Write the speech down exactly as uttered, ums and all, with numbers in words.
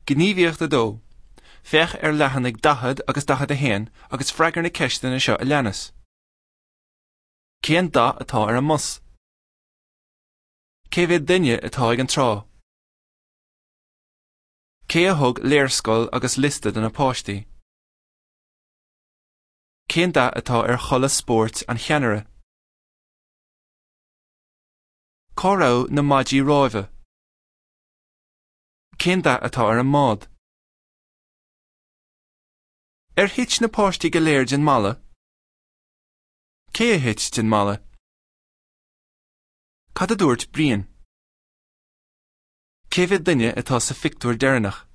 Gníomhaíocht a dó. Féach ar leathanaigh daichead agus daichead a haon agus freagair na ceisteanna seo a leanas. Cén dath atá ar an mbus? Cé mhéad duine atá ag an trá? Cé a thug léarscáil agus liosta do na páistí? Cén dath atá ar chulaith spóirt an cheannaire? Cá raibh na maidí ráimhe? Cén dath atá ar an mbád? Ar thit na páistí go léir den mballa? Cé a thit den mballa? Cad a dúirt Brian? Cé mhéad duine atá sa phictiúr deireanach?